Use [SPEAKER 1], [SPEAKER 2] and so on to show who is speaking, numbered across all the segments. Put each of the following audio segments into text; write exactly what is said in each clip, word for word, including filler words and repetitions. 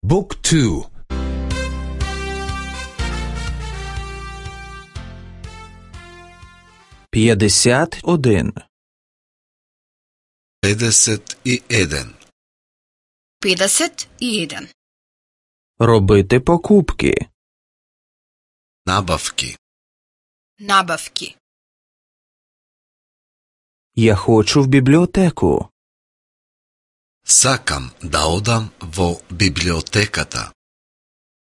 [SPEAKER 1] Book two.
[SPEAKER 2] п'ятдесят один.
[SPEAKER 3] педесет и еден.
[SPEAKER 4] педесет и еден.
[SPEAKER 2] Робити покупки.
[SPEAKER 3] Набавки.
[SPEAKER 4] Набавки.
[SPEAKER 2] Я хочу в библиотеку.
[SPEAKER 3] Сакам да одам во библиотеката.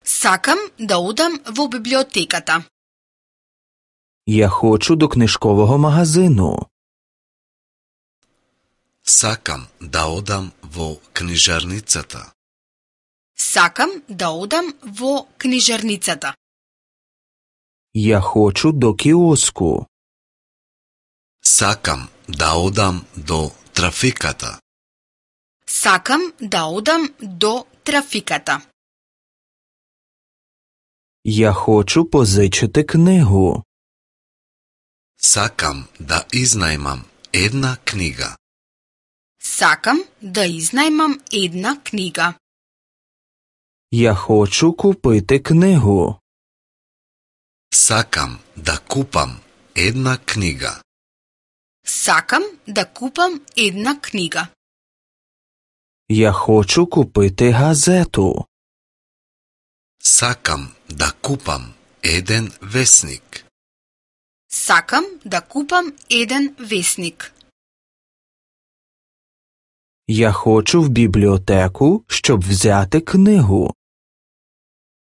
[SPEAKER 4] Сакам да одам во библиотеката.
[SPEAKER 2] Я хочу до книжкового магазину.
[SPEAKER 3] Сакам да одам во книжарницата.
[SPEAKER 4] Сакам да одам во книжарницата.
[SPEAKER 2] Я хочу до киоску.
[SPEAKER 3] Сакам да одам до трафиката.
[SPEAKER 4] Сакам да одам до трафиката.
[SPEAKER 2] Я хочу позичити книгу.
[SPEAKER 3] Сакам да изнајмам една книга.
[SPEAKER 4] Сакам да изнајмам една книга.
[SPEAKER 2] Я хочу купити книгу.
[SPEAKER 3] Сакам да купам една книга.
[SPEAKER 4] Сакам да купам една книга.
[SPEAKER 2] Я хочу купити газету.
[SPEAKER 3] Сакам да купам еден весник.
[SPEAKER 4] Сакам да купам еден весник.
[SPEAKER 2] Я хочу в бібліотеку, щоб взяти книгу.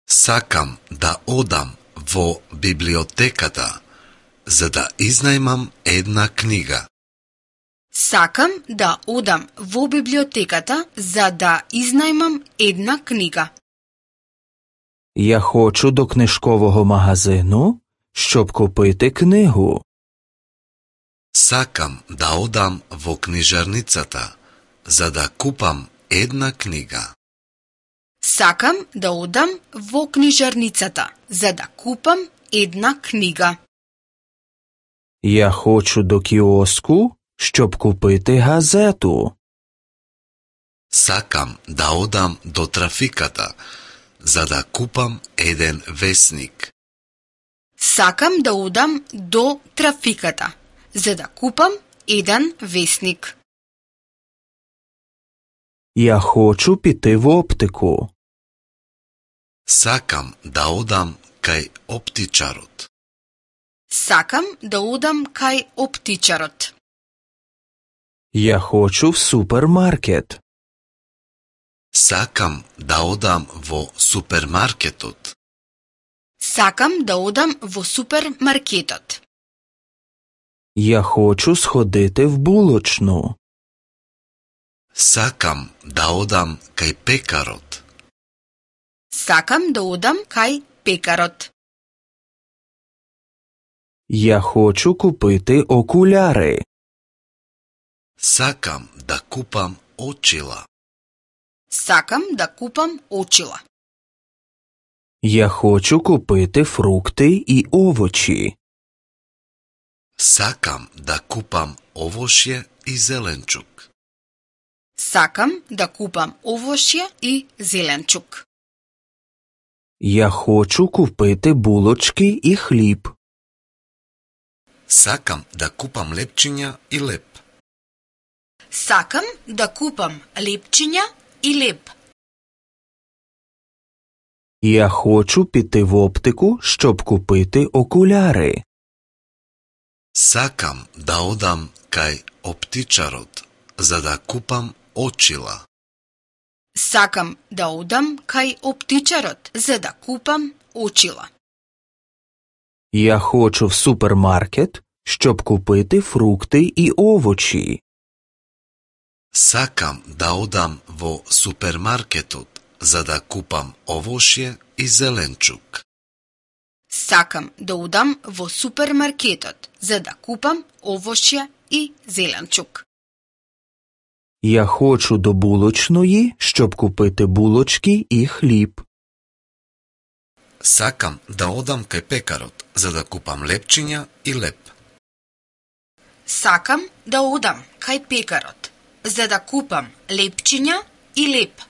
[SPEAKER 3] Сакам да одам во библиотеката, за да изнајмам една книга.
[SPEAKER 4] Сакам да одам во библиотеката за да изнајмам една книга.
[SPEAKER 2] Я хочу до книжкового магазину, щоб купити книгу.
[SPEAKER 3] Сакам да одам во книжарницата, за да купам една книга.
[SPEAKER 4] Сакам да одам во книжарницата за да купам една книга.
[SPEAKER 2] Я хочу до кіоску, щоб купити газету.
[SPEAKER 3] Сакам да одам до трафиката, за да купам еден весник.
[SPEAKER 4] Сакам да одам до трафиката за да купам еден весник.
[SPEAKER 2] Я хочу піти в оптику.
[SPEAKER 3] Сакам да одам кај оптичарот.
[SPEAKER 4] Сакам да одам кај оптичарот.
[SPEAKER 2] Я хочу в супермаркет.
[SPEAKER 3] Сакам да одам во супермаркетот.
[SPEAKER 4] Сакам да одам во супермаркетот.
[SPEAKER 2] Я хочу сходити в булочну.
[SPEAKER 3] Сакам да одам кај пекарот.
[SPEAKER 4] Сакам да одам кај пекарот.
[SPEAKER 2] Я хочу купити окуляри.
[SPEAKER 3] Сакам да купам очила.
[SPEAKER 4] Сакам да купам очила.
[SPEAKER 2] Я хочу купити фрукти і овочі.
[SPEAKER 3] Сакам да купам овошје и зеленчук.
[SPEAKER 4] Сакам да купам овошје и зеленчук.
[SPEAKER 2] Я хочу купити булочки і хліб.
[SPEAKER 3] Сакам да купам лепчиња и леп.
[SPEAKER 4] Сакам да купам лепчиња и леп.
[SPEAKER 2] Я хочу піти в оптику, щоб купити окуляри.
[SPEAKER 3] Сакам да одам кај оптичарот, за да купам очила.
[SPEAKER 4] Сакам да одам кај оптичарот за да купам очила.
[SPEAKER 2] Я хочу в супермаркет, щоб купити фрукти і овочі.
[SPEAKER 3] Сакам да одам во супермаркетот, за да купам овошје и зеленчук.
[SPEAKER 4] Сакам да одам во супермаркетот за да купам овошје и зеленчук.
[SPEAKER 2] Я хочу до булочної, щоб купити булочки і хліб.
[SPEAKER 3] Сакам да одам кај пекарот, за да купам лепчиња и леп.
[SPEAKER 4] Сакам да одам кај пекарот за да купам лепчиња и леп.